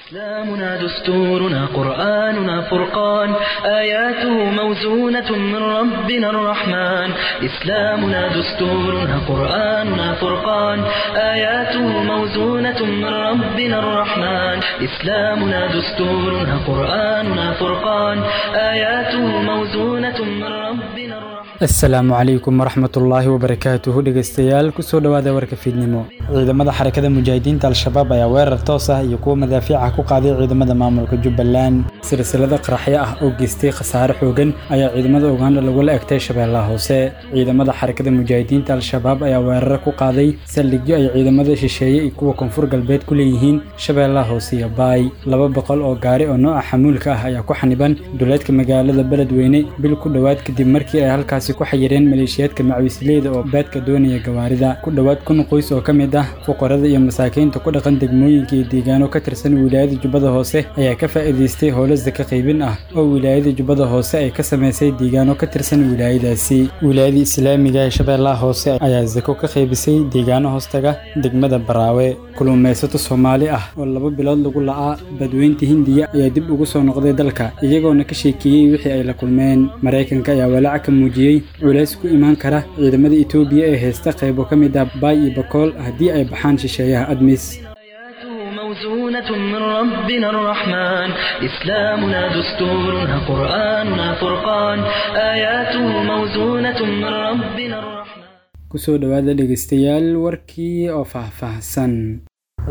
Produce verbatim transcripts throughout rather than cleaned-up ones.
إسلامنا دستورنا قرآننا فرقان آياته موزونة من ربنا الرحمن إسلامنا دستورنا قرآننا فرقان آياته موزونة من ربنا الرحمن إسلامنا دستورنا قرآننا فرقان آياته موزونة من ربنا الرحمن. Asalaamu calaykum waraxmatullaahi wabarakaatuhu dhegeystayaal, kusoo dhowaada warka fiidnimo. Ciidamada Xarakada Mujaahidiinta Al-Shabaab ayaa weerar toos ah iyo kuwa madaafiica ku qaaday ciidamada maamulka Jubbaland. Silsilada qaraxyo ah oo geystay khasaare xoogan ayaa ciidamada Uganda lagula egtay Shabeellaha Hoose. Ciidamada Xarakada Mujaahidiinta Al-Shabaab ayaa weeraro ku qaaday saldhigyo ay ciidamada shisheeye iyo kuwa Koonfur Galbeed ku leeyihiin Shabeellaha Hoose iyo Baay. Laba boqol oo gaari oo nooca xamuulka ah ayaa ku xaniban duleedka magaalada Beledweyne bil ku dhowaad kadib markii ay halkaasi ku xayireen maleeshiyaadka macawisleyda oo baadka doonaya gawaarida. Ku dhowaad kun qoys oo ka mid ah fuqarada iyo masaakiinta ku dhaqan degmooyinka iyo deegaano ka tirsan wilaayada Jubbada Hoose ayaa ka faa'iidaystay howlo saka qaybin ah oo wilaayada Jubbada Hoose ay ka samaysay deegaano ka tirsan wilaayadaasi. Wilaayada Islaamiga ee Shabeellaha Hoose ayaa sako ka qaybisay deegaano hoostaga degmada Baraawe. Kulluumaysato Soomaali ah oo laba bilood lagu la'aa badweynta Hindiya ayaa dib ugu soo noqday dalka, iyagoona ka sheekeeyey wixii ay la kulmeen. Maraykanka ayaa walaac ka muujiyey culays ku imaan kara ciidamada Itoobiya ee haysta qaybo ka mid ah Baay iyo Bakool haddii ay baxaan shisheeyaha ADMIS. موزونة من ربنا الرحمن إسلامنا دستورنا قرآننا فرقان آياته موزونة من ربنا الرحمن. Kusoo dhowaada dhegeystayaal warkii oo faahfaahsan.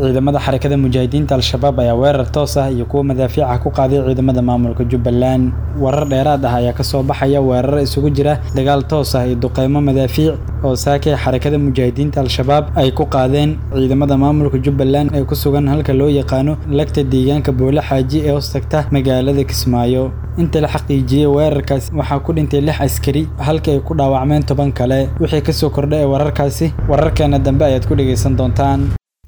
Ciidamada Xarakada Mujaahidiinta Al-Shabaab ayaa weerar toos ah iyo kuwa madaafiica ku qaaday ciidamada maamulka Jubbaland. Warar dheeraad ah ayaa ka soo baxaya weerar isugu jira dagaal toos ah iyo duqeymo madaafiic oo saakay Xarakada Mujaahidiinta Al-Shabaab ay ku qaadeen ciidamada maamulka Jubbaland ee ku sugan halka loo yaqaano lagta deegaanka Boole Xaaji ee hoostagta magaalada Kismaayo. Inta la xaqiijiyey weerarkaasi waxaa ku dhintay lix askari halka ay ku dhaawacmeen toban kale. Wixii kasoo kordhay ee wararkaasi wararkeena dambe ayaad ku dhegeysan doontaan.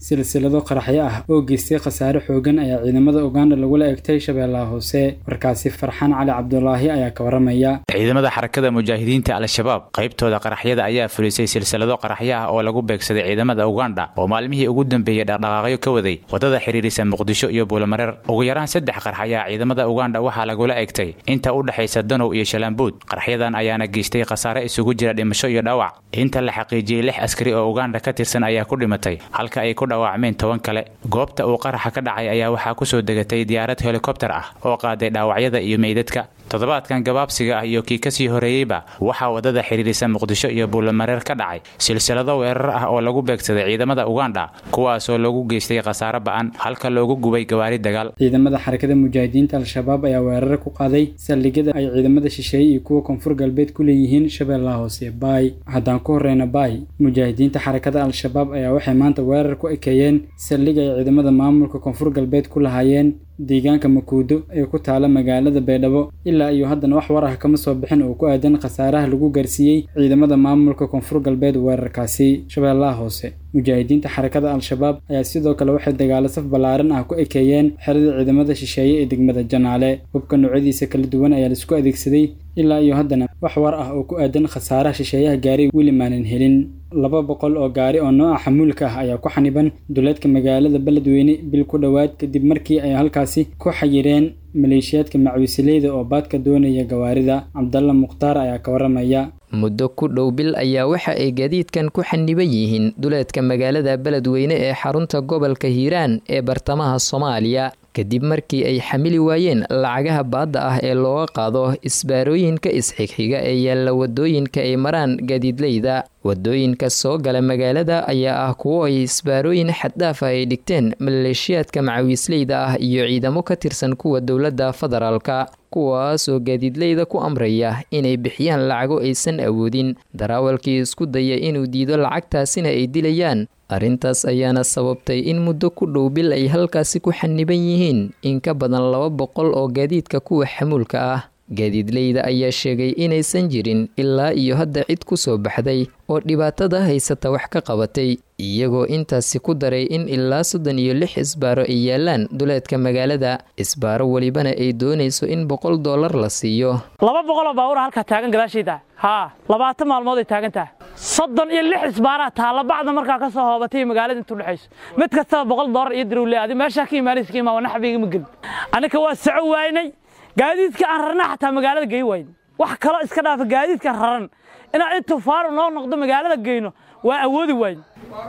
Silsilado qaraxyo ah oo geystay khasaare xoogan ayaa ciidamada Uganda lagula egtay Shabeellaha Hoose. Warkaasi Farxaan Cali Cabdulaahi ayaa ka waramaya. Ciidamada Xarakada Mujaahidiinta Al-Shabaab qaybtooda qaraxyada ayaa fulisay silsilado qaraxyo ah oo lagu beegsaday ciidamada Uganda oo maalmihii ugu dambeeyay dhaqdhaqaaqyo ka waday wadada xiriirisa Muqdisho iyo Buulamareer. Ugu yaraan saddex qarax ayaa ciidamada Uganda waxaa lagula egtay inta u dhaxaysa Danow iyo Shalambuud. Qaraxyadan ayaana geystay khasaare isugu jira dhimasho iyo dhaawac. Inta la xaqiijiyey lix askari oo Uganda ka tirsan ayaa ku dhimatay halka ay ku dhaawacmeen toban kale. Goobta uu qaraxa ka dhacay ayaa waxaa ku soo degatay diyaarad helikobter ah oo qaaday dhaawacyada iyo meydadka. Toddobaadkan gabaabsiga ah iyo kii kasii horeeyeyba waxaa wadada xiriirisa Muqdisho iyo Buulamareer ka dhacay silsilado weerar ah oo lagu beegsaday ciidamada Uganda, kuwaasoo lagu geystay khasaare ba'an halka loogu gubay gawaari dagaal. Ciidamada Xarakada Mujaahidiinta Al-Shabaab ayaa weerar ku qaaday saldhigyada ay ciidamada shisheeye iyo kuwa Koonfur Galbeed ku leeyihiin Shabeellaha Hoose Baay. Haddaan ku horeyna Baay, Mujaahidiinta Xarakada Al-Shabaab ayaa waxay maanta weerar ku ekeeyeen saldhig ay ciidamada maamulka Koonfur Galbeed ku lahaayeen deegaanka Makuudo ee ku taala magaalada Baydhabo. Ilaa iyo haddana wax war ah kama soo bixin oo ku aadan khasaaraha lagu gaarsiiyey ciidamada maamulka Koonfur Galbeed weerarkaasi. Shabeellaha Hoose, Mujaahidiinta Xarakada Al-Shabaab ayaa sidoo kale waxay dagaalo saf ballaaran ah ku ekeeyeen xerada ciidamada shisheeye ee degmada Janaale. Hubka noocyadiisa kala duwan ayaa la isku adeegsaday. Ilaa iyo haddana wax war ah oo ku aadan khasaaraha shisheeyaha gaaray weli maanan helin. Laba boqol oo gaari oo nooca xamuulka ah ayaa ku xaniban duleedka magaalada Beledweyne bil ku dhowaad kadib markii ay halkaasi ku xayireen maleeshiyaadka macawisleyda oo baadka doonaya gawaarida. Cabdalla Mukhtaar ayaa ka waramaya. Muddo ku dhow bil ayaa waxa ay gaadiidkan ku xaniban yihiin duleedka magaalada Beledweyne ee xarunta gobolka Hiiraan ee bartamaha Soomaaliya, kadib markii ay xamili waayeen lacagaha baadda ah ee looga qaado isbaarooyinka isxigxiga ee yaalla wadooyinka ay maraan gaadiidleyda. Wadooyinka soo gala magaalada ayaa ah kuwo ay isbaarooyin xaddhaaf ah ay dhigteen maleeshiyaadka macawiisleyda ah iyo ciidamo ka tirsan kuwa dowladda federaalka, kuwaasoo gaadiidleyda ku amraya inay bixiyaan lacago aysan awoodin. Daraawalkii isku daya inuu diido lacagtaasina ay dilayaan. Arrintaas ayaana sababtay in muddo ku dhow bil ay halkaasi ku xaniban yihiin in ka badan laba boqol oo gaadiidka kuwa xamuulka ah. Gaadiidleyda ayaa sheegay inaysan jirin ilaa iyo hadda cid ku soo baxday oo dhibaatada haysata wax ka qabatay, iyagoo intaasi ku daray in ilaa soddon iyo lix isbaaro ay yaalaan duleedka magaalada, isbaaro welibana ay doonayso in boqol dollar la siiyo. Laba boqoloo baabuur halkaa taagan gadaashayda, haa, labaatan maalmood ay taagan tahay. Soddon iyo lix isbaaraa taalla bacda markaa ka soo hoobatay magaalada intuu dhexayso, mid kastaba boqol dollar iyo dirowle. Adi meeshaa ka imaanaysa ka imaan naxbiga ma gelin. Annika waa soco waaynay, gaadiidka aan rarna xataa magaalada gey wayn. Wax kaloo iska dhaafa, gaadiidka raran inaan intuu faaru noo noqdo magaalada geyno waa awoodi wayn.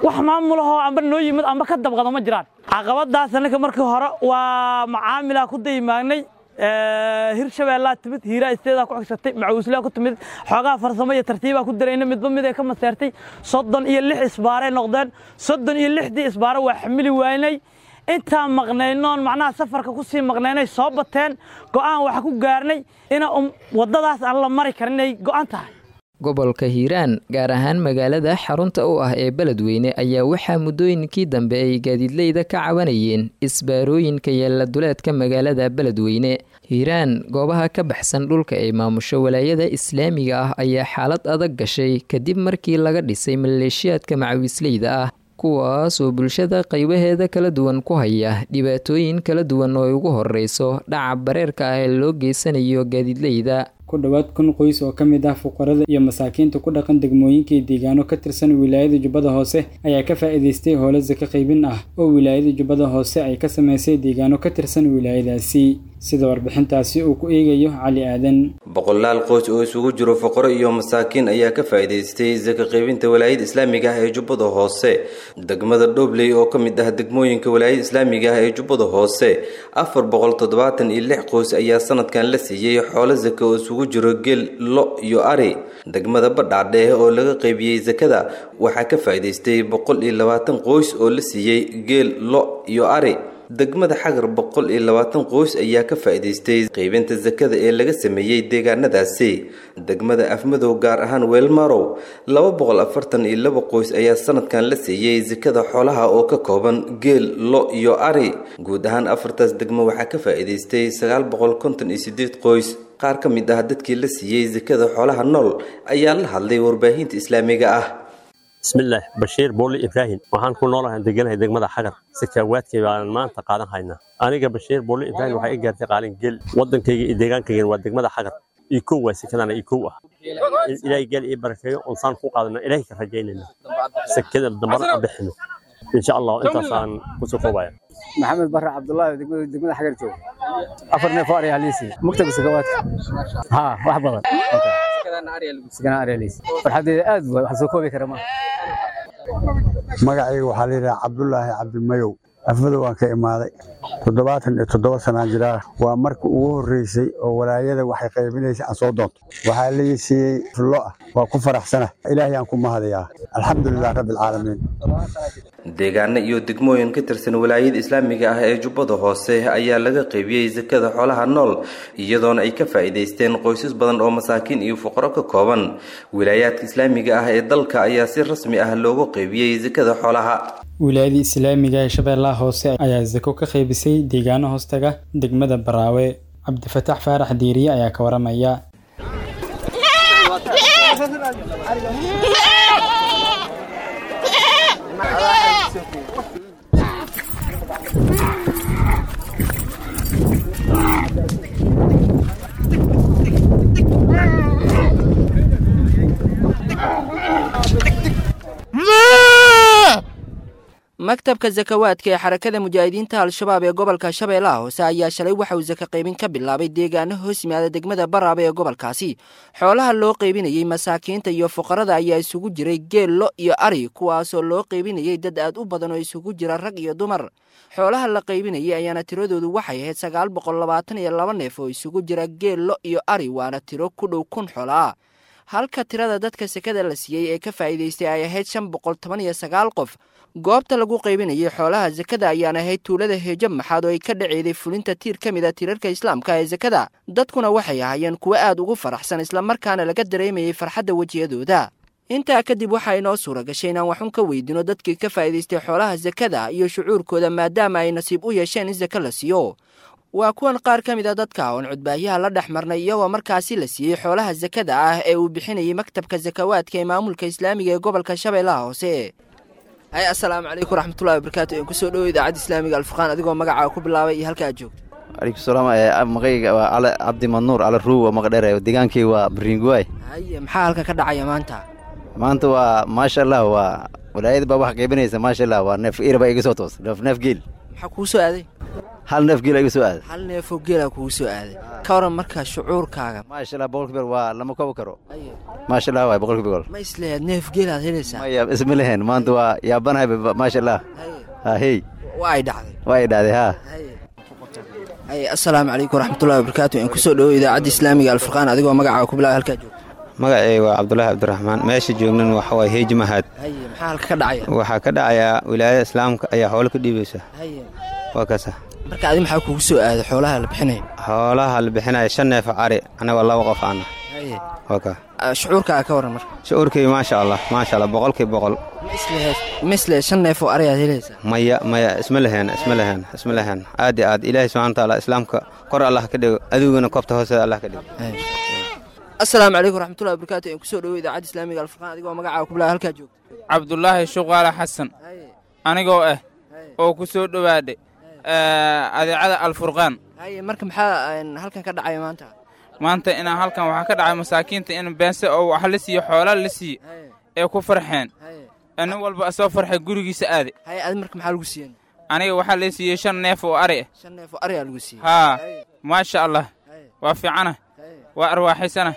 Wax maamulahoo amba noo yimid amba ka dabqado ma jiraan. Caqabadaas annika markii hore waa macaamilaa ku dayimaagnay. Hirshabeellaa timid, Hiiraa isteedaa ku xigsatay, Macuuslaa ku timid, xoogaa farsamo iyo tartiibaa ku darayna, midba mid ay ka maseertay. Soddon iyo lix isbaaray noqdeen. Soddon iyo lixdii isbaaro waa xamili waynay. Intaan maqnaynoon macnaha safarka ku sii maqnaynay soo bateen. Go'aan waxa ku gaarnay ina waddadaas aan la mari karin inay go'an tahay. Gobolka Hiiraan, gaar ahaan magaalada xarunta u ah ee Beledweyne, ayaa waxaa muddooyinkii dambe ay gaadiidleyda ka cabanayeen isbaarooyinka yaalla duleedka magaalada Beledweyne. Hiiraan, goobaha ka baxsan dhulka ay maamusho walaayada islaamiga ah, ayaa xaalad adag gashay kadib markii laga dhisay maleeshiyaadka macawiisleyda ah, kuwaas oo bulshada qaybaheeda kala duwan ku haya dhibaatooyin kala duwan oo ay ugu horeyso dhaca bareerka ah ee loo geysanayo gaadiidleyda. Ku dhowaad kun qoys oo ka mid ah fuqarada iyo masaakiinta ku dhaqan degmooyinka iyo deegaano ka tirsan wilaayada Jubbada Hoose ayaa ka faa'iidaystay howlo sako qaybin ah oo wilaayada Jubbada Hoose ay ka sameysay deegaano ka tirsan wilaayadaasi, sida warbixintaasi uu ku eegayo Cali Aadan. Boqolaal qoys oo isugu jiro fuqaro iyo masaakiin ayaa ka faa'iidaystay sako qaybinta walaayada islaamiga ah ee Jubbada Hoose. Degmada Dhobley oo ka mid ah degmooyinka walaayada islaamiga ah ee Jubbada Hoose, afar boqol toddobaatan iyo lix qoys ayaa sanadkan la siiyey xoolo sako oo isugu jiro geel, lo iyo ari. Degmada Badhaadhe oo laga qaybiyey sakada waxaa ka faa'iidaystay boqol iyo labaatan qoys oo la siiyey geel, lo iyo ari. Degmada Xagar boqol iyo labaatan qoys ayaa ka faa'iidaystay qaybinta sakada ee laga sameeyey deegaanadaasi. Degmada Afmadow, gaar ahaan Weelmarow, laba boqol afartan iyo laba qoys ayaa sanadkan la siiyey sakada xoolaha oo ka kooban geel, lo iyo ari. Guud ahaan afartaas degmo waxaa ka faa'iidaystay sagaal boqol konton iyo sideed qoys. Qaar ka mid ah dadkii la siiyey sakada xoolaha nool ayaa la hadlay warbaahinta islaamiga ah. Bismillaah, Bashiir Booli Ibraahim. Waxaan ku noolahay, deganahay degmada Xagar. Sakaawaadkay baan maanta qaadan haynaa. Aniga Bashiir Booli Ibraahim, waxaa i gaartay qaalin geel. Waddankayga iyo deegaankayga waa degmada Xagar. Ii kow waa sakadana, ii kow ah. Ilaahay geel ii barakeeyo oon saan ku qaadana Ilaahay ka rajaynayna sakada dambana aan bixino insha Allah. Intaasaan kusoo koobaya. Maxamed Barre Cabdullaahi, degmada degmada Xagar jooga. Afar neef oo ari haliisi maktabka sakawaadka, haa, wax badan sakana ari haliisi. Farxadeeda aad waay, wax soo koobi kara ma. Magacayga waxaa la yidhaha Cabdulaahi Cabdimayow, Afmadow waan ka imaaday. Toddobaatan iyo toddoba sanaan jiraa. Waa markii ugu horreysay oo walaayada waxay qaybinaysa aan soo doonto. Waxaa la siiyey lo ah, waa ku faraxsana, Ilaahay aan ku mahadayaa, alxamdulilah rabbi alcaalamiin. Deegaano iyo degmooyin ka tirsan walaayada islaamiga ah ee Jubbada Hoose ayaa laga qaybiyey sakada xoolaha nool, iyadoona ay ka faa'iidaysteen qoysas badan oo masaakiin iyo fuqaro ka kooban. Wilaayaadka islaamiga ah ee dalka ayaa si rasmi ah loogu qaybiyey sakada xoolaha. Wilaayada islaamiga ee Shabeellaha Hoose ayaa sako ka qaybisay deegaano hoostaga degmada Baraawe. Cabdifataax Faarax Diiriye ayaa ka waramaya. Maktabka Sakawaadka ee Xarakada Mujaahidiinta Al-Shabaab ee gobolka Shabeellaha Hoose ayaa shalay waxa uu saka qaybin ka bilaabay deegaano hoos yimaada degmada Baraaba ee gobolkaasi. Xoolaha loo qaybinayey masaakiinta iyo fuqarada ayaa isugu jiray geel, lo iyo ari, kuwaasoo loo qaybinayey dad aad u badan oo isugu jira rag iyo dumar. Xoolaha la qaybinayey ayaana tiradoodu waxay ahayd sagaal boqol labaatan iyo laba neef oo isugu jira geel, lo iyo ari, waana tiro ku dhow kun xoolo ah, halka tirada dadka sekada la siiyey ee ka faa'iidaystay ay ahayd shan boqol toban iyo sagaal qof. Goobta lagu qaybinayay xoolaha sakada ayaan ahayd tuulada Heejo Maxaad oo ay ka dhaceeday fulinta tiir ka mid a tiirarka islaamka ee sakada. Dadkuna waxay ahaayeen kuwo aad ugu faraxsan, islamarkaana laga dareemayay farxadda wejiyadooda. Intaa kadib waxaa inoo suura gashay inaan waxun ka weydino dadkii ka faa'iidaystay xoolaha sakada iyo shucuurkooda, maadaama ay nasiib u yeesheen in sako la siiyo. Waa kuwan qaar ka mid a dadka oon cudbaayaha la dhex marnay, iyagoo markaasi la siiyey xoolaha sakada ah ee uu bixinayay maktabka sakawaadka ee maamulka islaamiga ee gobolka Shabeellaha Hoose. Hay, assalaamu calaykum waraxmatullahi wabarakaatu. Een kusoo dhowo idaacadda islaamiga Alfurqaan, adigoo magacaa ku bilaabay iyo halka aad joogto. Calaykum salaam. Magayga waa Cali Cabdi Manuur Cali Ruuw, maqdheere, deegaankii waa Bariinguwaay. Haye, maxaa halka ka dhacaya maanta? Maanta waa maasha Allah, waa walaayada baa wax qaybinaysa, maasha Allah. Waa neef ira baa iga soo toos, neef neef geel. Maxaa kugu soo aaday? Hal neef geel iga soo aaday. Hal neefoo geelaa kugu soo aaday. Ka waran marka shucuurkaaga? Maasha Allah, boqolkiiba waa lama koobi karo. Maasha Allah waay, boqolkiiba boqol. Ma isleeyaad neef geelaad helaysaa? Maya, isma lehen, maanta waa yaabanahay, maasha Allah. Ha hey, waa ay dhacday. Waa ay dhacday, ha. Haye, assalaamu calaykum waraxmatullahi wabarakaatu. In kusoo dhowo idaacadda islaamiga Alfurqaan, adigoo magacaaga ku bilaabay, halkaa joogto. Magacayga waa Cabdulaahi Cabdiraxmaan, meesha joognan waxa waay Heeji Mahad. Haye, maxaa halka ka dhacaya? Waxaa ka dhacayaa wilaayada islaamka ayaa xoolo ka dhiibaysa. Haye, waa kaasa. Marka adi maxaa kugu soo aaday xoolaha la bixinayo? Xoolaha la bixinaya shan neef cari, annaga laba qof aana. Haye, waa kaa. Shucuurkaaga ka waran marka? Shucuurkayga maasha Allah, maasha Allah, boqolkiiba boqol. Ma isleheed ma islehed shan neef oo ari aad helaysaa? Maya maya, isma leheen, isma leheen, isma leheen. Aad iyo aad Ilaahay subxana watacaala islaamka kor Allah ka dhigo, adiguna koobta hoosteeda Allah ka dhigo. Assalaamu calaykum waraxmatullahi wabarakaatu. In kusoo dhowo idaacadda islaamiga Alfurqaan, adigoo magacaaga ku bilaabay, halkaa joogto. Cabdulaahi Shuqaale Xasan anigoo ah oo ku soo dhowaadhay adeecada Alfurqaan. Haye, marka maxaa halkan ka dhacaya maanta? Maanta inaan halkan waxaa ka dhacay masaakiinta in beense oo wax la siiyo, xoolaa la siiye ee ku farxeen, nin walba soo farxay gurigiisa aade. Haye, adi marka maxaa lagu siiyey? Aniga waxaa la siiyey shan neef oo ari ah. Shan neef oo ari aa lagu siiyey. Haa, maasha Allah, waa fiicana, waa arwaaxaysana.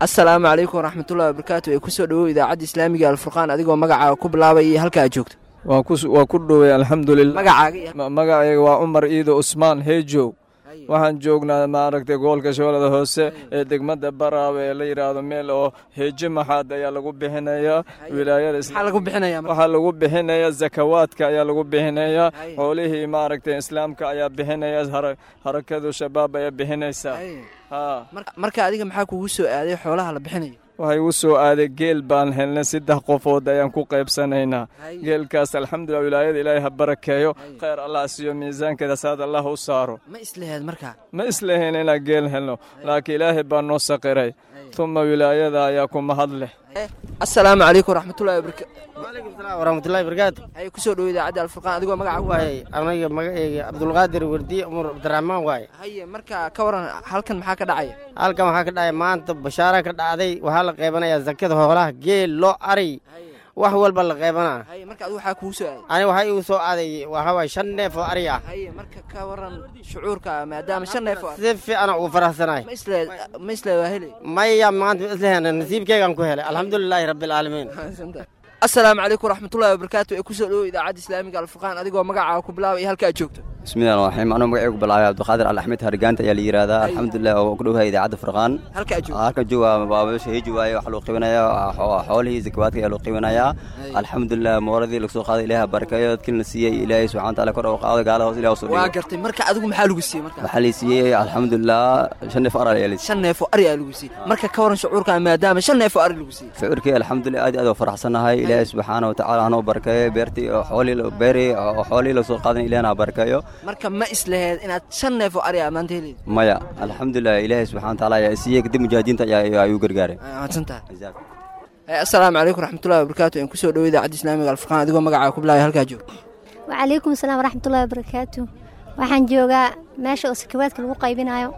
Assalaamu calaykum waraxmatullahi wabarakaatu. Ee kusoo dhowow idaacadda islaamiga Alfurqaan, adigoo magacaaga ku bilaabay iyo halka aad joogto. Waa ku waa ku dhowey, alxamdulilah. Magacaaga? Magacayga waa Cumar Iido Cusmaan Heejow. Waxaan joognaa maaragtay gobolka Shabeellada Hoose ee degmada Baraawe ee la yidhaahdo meel oo Heeje Maxaad ayaa lagu bixinayaa wilaayada. Maxaa lagu bixinayaa? Waxaa lagu bixinayaa zakawaadka ayaa lagu bixinayaa, xoolihii maaragtay islaamka ayaa bixinaya, harakadu shabaab ayaa bixinaysaa. Marka adiga maxaa kugu soo aaday xoolaha la bixinayo? Waxay igu soo aaday geel baan helnay, saddex qofood ayaan ku qaybsanaynaa geelkaas. Alxamdulilah, wilaayada Ilaahay ha barakeeyo, khayr Allah siiyo, miisaankeeda saad Allah u saaro. Ma isleheed markaa? Ma isleheen inaan geel helno, laakiin Ilaahay baa noo saqiray, tuma wilaayada ayaa ku mahad leh. Assalaamu calaykum waraxmatullahi wabarakaatu. Wacalaykum salaam waraxmatullahi wabarakaatu. Haye, kusoo dhowo idaacadda Alfurqaan, adigoo magaca waaye. Aniga magacayga Cabdulqaadir Wardiye Umar Cabdiraxmaan waaye. Haye, marka ka waran halkan maxaa ka dhacaya? Halkan waxaa ka dhacaya maanta bashaara ka dhacday. Waxaa la qaybanayaa zakada xoolaha, geel, lo, ari, wax walba la qaybanaa. Haye, marka adigu waxaa kugu soo aaday? Aniga waxaa igu soo aaday waxaa waaye shan neef oo ari ah. Haye, marka ka waran shucuurka maadaama shan neef oo si fiican ugu faraxsanahay. Ma isle ma isle waa helay? Maya, maanta ma isleheen, nasiibkeygaan ku helay, alxamdulilaahi rabbilcaalamiin. Assalaamu calaykum waraxmatullahi wabarakaatu. Ee kusoo dhowo idaacadda islaamiga Alfurqaan, adigoo magacaaga ku bilaabay iyo halka aad joogto. Bismillahi raxmaan. Anuu magacaygu bilaabay Cabdiqaadir Cali Axmed Hargaanta ayaa la yidhaahdaa. Alxamdulilah, oo ku dhowahay idaacadda Furqaan. Halka aad joogto? Halka jooga waa meesha Heeji waaye. Waxaa loo qiibinayaa xoolihii zakawaadka ayaa loo qiibinayaa. Alxamdulilah, mooradii lagu soo qaaday Ilaaha barakeeyo, dadkii la siiyey Ilaahay subxana wataala kor ugu qaado, gaalada hoos Ilaah usoo dhigo. Waa gartay. Marka adigu maxaa lagu siiyey marka? Waxaa la siiyey alxamdulilah shan neef ari ayaa la siiyey. Shan neef oo ari ayaa lagu siiyey. Marka ka waran shucuurka maadaama shan neef oo ari lagu siiyey? Shucuurkii alxamdulilah, aad iyo aad oo faraxsanahay. Ilaahay subxaana watacaala hanoo barakeeyo beertii oo xoolihii beerii oo xoolihii lasoo qaadan, Ilaahna ha barakeeyo. Marka ma isleheed inaad shan neef oo ari ah maanta heleyd? Maya, alxamdulilah, Ilaahay subxana watacaala ayaa siiyey, kadib mujaahidiinta ayaa ayuu gargaaray. Mahadsantahay. Assalaamu calaykum waraxmatullahi wabarakaatu. In kusoo dhowo idaacadda islaamiga Alfurqaan, adigoo magacaaga ku bilaabay, halkaa joogo. Wacalaykum asalaam waraxmatullahi wabarakaatu. Waxaan joogaa meesha oo sakawaadka lagu qaybinayo,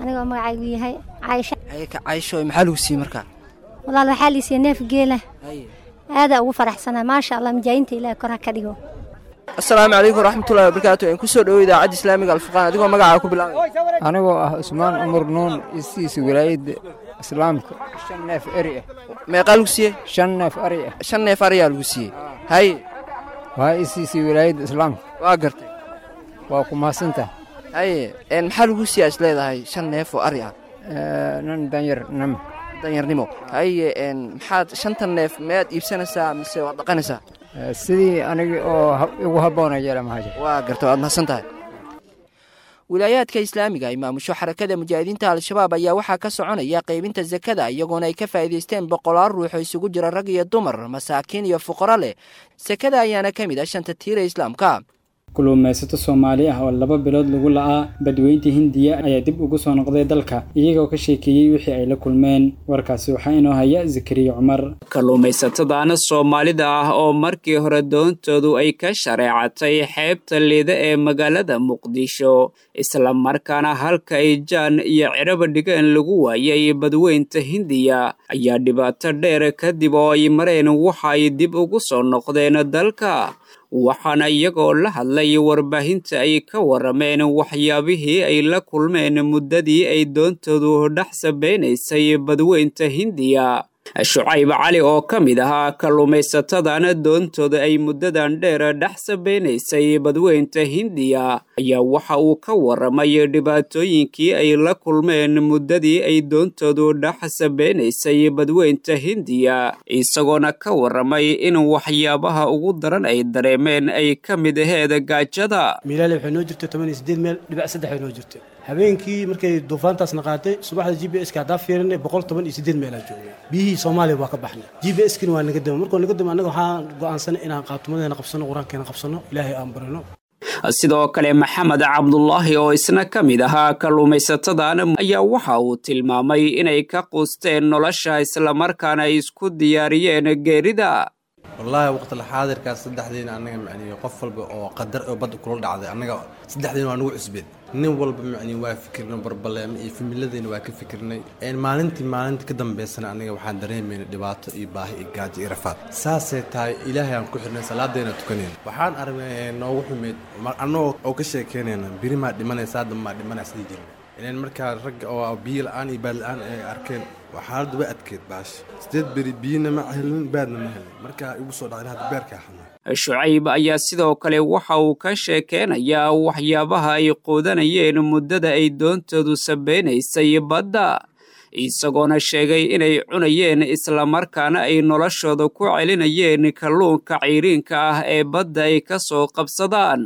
anigoo magacaygu yahay Caaisha. Haye, ka Caaisho, maxaa lagu siiyey markaa? Walaal, waxaa la siiyey neef geela, aadaa ugu faraxsanaa, maasha Allah. Mujaahidiinta Ilaah kor ha ka dhigo. Assalaamu calaykum waraxmatullahi wabarakaatu. In kusoo dhowo idaacadda islaamiga Alfurqaan, adigoo magacaaga ku bilaabay. Anigoo ah Cusmaan Cumar Nuun, istiisa wilaayadda islaamka shan neef eri ah. Meeqaa lagu siiyey? Shan neef ari ah. Shan neef ariyaa lagu siiyey. Haye, waa istiisa wilaayadda islaamka. Waa gartay, waa ku mahadsantaha. Haye, maxaa lagu siiyaa is leedahay shan neef oo ari ah? Nin danyarnimo. Danyarnimo. Haye, maxaad shantan neef miyaad iibsanaysaa mise waad dhaqanaysaa? Sidii anigi oo igu habboona yeela mahaje. Waa garta, waad mahadsan tahay. Wilaayaadka islaamiga ay maamusho xarakada mujaahidiinta Al-Shabaab ayaa waxaa ka soconaya qaybinta sakada, iyagoona ay ka faa'iidaysteen boqolaal ruux oo isugu jira rag iyo dumar, masaakiin iyo fuqaro leh. Sakada ayaana ka mid ah shanta tiira islaamka. Kulluumaysato Soomaali ah oo laba bilood lagu la'aa badweynta Hindiya ayaa dib ugu soo noqday dalka, iyagoo ka sheekeeyey wixii ay la kulmeen. Warkaasi waxaa inoo haya Zakariya Cumar. Kalluumaysatadana Soomaalida ah oo markii hore doontoodu ay ka shareecatay xeebta liida ee magaalada Muqdisho, isla markaana halka ay jaan iyo ciraba dhigeen lagu waayay badweynta Hindiya, ayaa dhibaato dheer kadib oo ay mareen waxa ay dib ugu soo noqdeen dalka. Waxaana iyagoo la hadlay warbaahinta ay ka warameen waxyaabihii ay la kulmeen muddadii ay doontoodu dhex sabeynaysay badweynta Hindiya. Shucayb Cali oo ka mid ahaa kalluumaysatadana doontooda ay muddadan dheer dhex sabeynaysay badweynta Hindiya ayaa waxa uu ka waramay dhibaatooyinkii ay la kulmeen muddadii ay doontoodu dhex sabeynaysay badweynta Hindiya, isagoona ka waramay in waxyaabaha ugu daran ay dareemeen ay ka mid aheed gaajada. Miilaale waxay noo jirtay toban iyo siddeed meel dhibic saddex ay noo jirtay. Habeenkii markay duufaantaasna qaatay, subaxda G P S ka haddaa fiirinay boqol toban iyo siddeed meelaa joognay. Biyihii Soomaaliya waa ka baxnay. G P S kina waa naga dama. Markuu naga dama annaga waxaan go'aansanay inaan qaatumadeena qabsano, qur-aankeena qabsano, Ilaahay aan barino. Sidoo kale Maxamed Cabdulaahi oo isna ka mid ahaa kalluumaysatadan ayaa waxa uu tilmaamay inay ka quusteen nolosha islamarkaana ay isku diyaariyeen geerida. Wallaahi waqti xaadirkaas saddexdiina annaga macnihi qof walba oo qadar oo badda kula dhacday annaga saddexdiina waa nagu cusbeen. Nin walba macnihi waa fikirnay barbaleema iyo familadeena waa ka fikirnay. Maalintii maalinta ka dambeysana annaga waxaan dareemaynay dhibaato iyo baahi iyo gaajo iyo rafaad. Saasay tahay Ilaahay aan ku xirnay, salaadeena tukanayna. Waxaan aragnay noogu xumeyd annagoo oo ka sheekeynayna biri maa dhimanaysaa, hadda maa dhimanaysa sidii jirnay. Ileen markaa ragga oo biyo la'aan iyo baad la'aan ay arkeen waa xaaladdu way adkeyd baasha. Sideed beri biyona ma helin, baadna ma helin. Markaa igu soo dhacday hadda beerkaa xanuun. Shucayb ayaa sidoo kale waxa uu ka sheekeynayaa waxyaabaha ay quudanayeen muddada ay doontoodu sabeynaysay badda, isagoona sheegay inay cunayeen islamarkaana ay noloshooda ku celinayeen kalluunka ceyriinka ah ee badda ay ka soo qabsadaan.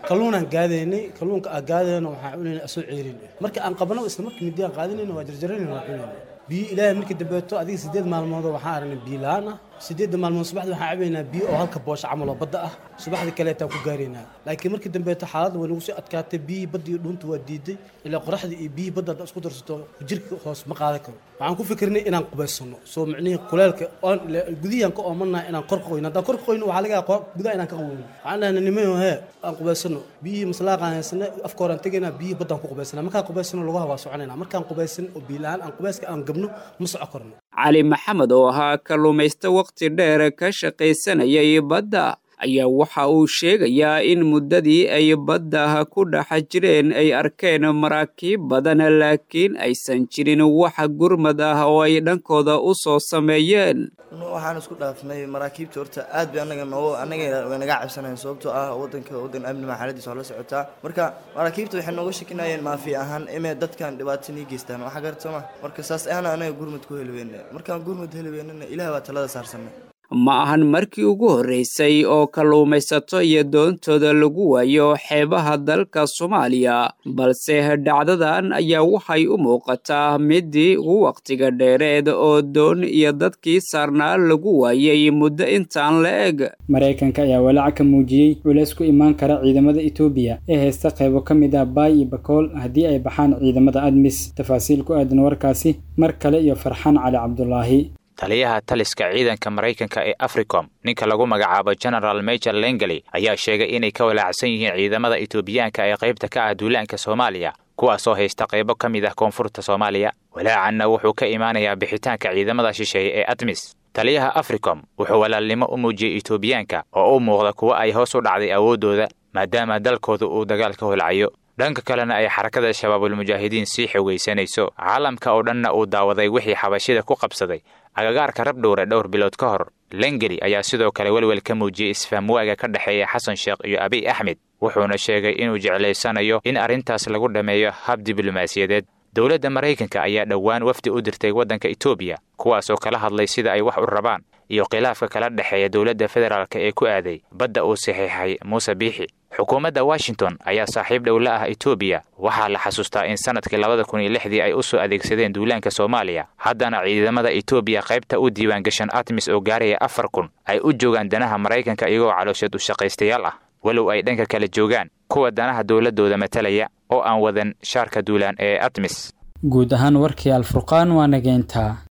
Kalluunaan gaadaynay, kalluunka aan gaadayna waxaan cunaynay asoo ceyriin ah. Marka aan qabno isla markii midi aan qaadanayna waa jarjaranayna waa cunaynay. Biyo Ilaahay markii dambeeto adiga siddeed maalmood waxaan aragnay biyo la'aan ah. Siddeedda maalmood subaxdii waxaan cabaynaa biyo oo halka boosha camal oo badda ah. Subaxdii kaleetaan ku gaaraynaa. Laakiin markii dambeeto xaaladda way nagu sii adkaatay, biyihii badda iyo dhuunta waa diiday. Ilaa qoraxdii iyo biyihii badda haddaad isku darsato jirka hoos ma qaadan karo. Waxaan ku fikirnay inaan qubaysano. Soo micnihii kuleelka oon gudihii aan ka oomanahay inaan kor qoyno. Haddaan kor qoyno waxaa laga yaabaa gudaha inaan ka qabowno. Waxaan dhahnay nimayo hee aan qubaysano. Biyihii maslaaqaan haysanay afka horaan tegaynaa, biyihii baddaan ku qubaysanaa. Markaan qubaysano lugaha waa soconaynaa. Markaan qubaysan oo biyo la'aan aan qubayska aan gabno ma soco karno. Cali Maxamed oo ahaa kalluumaysto waqti dheer ka shaqaysanayay badda ayaa waxa uu sheegayaa in muddadii ay badda ku dhex jireen ay arkeen maraakiib badan, laakiin aysan jirin wax gurmad ah oo ay dhankooda u soo sameeyeen. Waxaan isku dhaafnay maraakiibta horta aad bay annaga noo annaga way naga cabsanayeen, sababtoo ah waddanka waddan amni ma xaaladiisa waa la socotaa. Marka maraakiibta waxay nooga shakinayeen maafi ahaan inay dadkan dhibaato nii geystaan, waxa garata ma. Marka saas ahna annaga gurmad ku heli weyne. Markaan gurmad heli weynana Ilaah baa talada saarsanay. Ma ahan markii ugu horreysay oo kalluumaysato iyo doontooda lagu waayo xeebaha dalka Soomaaliya, balse dhacdadan ayaa waxay u muuqataa midii ugu waqtiga dheereed oo doon iyo dadkii saarnaa lagu waayay muddo intaan la eg. Maraykanka ayaa walaac ka muujiyey culays ku imaan kara ciidamada Itoobiya ee haysta qaybo ka mid ah Baay iyo Bakool haddii ay baxaan ciidamada ADMIS. Tafaasiil ku aadan warkaasi mar kale iyo Farxaan Cali Cabdulaahi. Taliyaha taliska ciidanka Maraykanka ee Africom, ninka lagu magacaabo General Major Langley, ayaa sheegay inay ka walaacsan yihiin ciidamada Itoobiyaanka ee qaybta ka ah duulaanka Soomaaliya, kuwaasoo haysta qaybo ka mid ah koonfurta Soomaaliya. Walaacanna wuxuu ka imaanayaa bixitaanka ciidamada shisheeye ee ADMIS. Taliyaha Africom wuxuu walaalnimo u muujiyey Itoobiyaanka oo u muuqda kuwa ay hoos u dhacday awooddooda, maadaama dalkooda uu dagaal ka holcayo. Dhanka kalena ay xarakada Shabaabul Mujaahidiin sii xogaysanayso, caalamka oo dhanna uu daawaday wixii xabashida ku qabsaday agagaarka Rabdhowre dhowr bilood ka hor. Lengeli ayaa sidoo kale welwel ka muujiyey isfahmwaaga ka dhexeeya Xasan Sheekh iyo Abiy Axmed, wuxuuna sheegay inuu jeclaysanayo in arrintaas lagu dhammeeyo hab diblomaasiyadeed. Dowladda Maraykanka ayaa dhowaan wafdi u dirtay waddanka Itoobiya, kuwaasoo kala hadlay sida ay wax u rabaan iyo khilaafka kala dhexeeya dowladda federaalka ee ku aaday badda uu saxiixay Muuse Biixi. Xukuumadda Washington ayaa saaxiib dhow la ah Itoobiya. Waxaa la xasuustaa in sanadkii labada kun iyo lixdii ay u soo adeegsadeen duulaanka Soomaaliya. Haddana ciidamada Itoobiya qaybta u diiwaangashan ATMIS oo gaaraya afar kun ay u joogaan danaha Maraykanka iyagoo caloosheed u shaqaystayaal ah. Walow ay dhanka kale joogaan kuwa danaha dowladooda matalaya oo aan wadan shaarka duulaan ee ATMIS. Guud ahaan warkii Alfurqaan waa nageyntaa.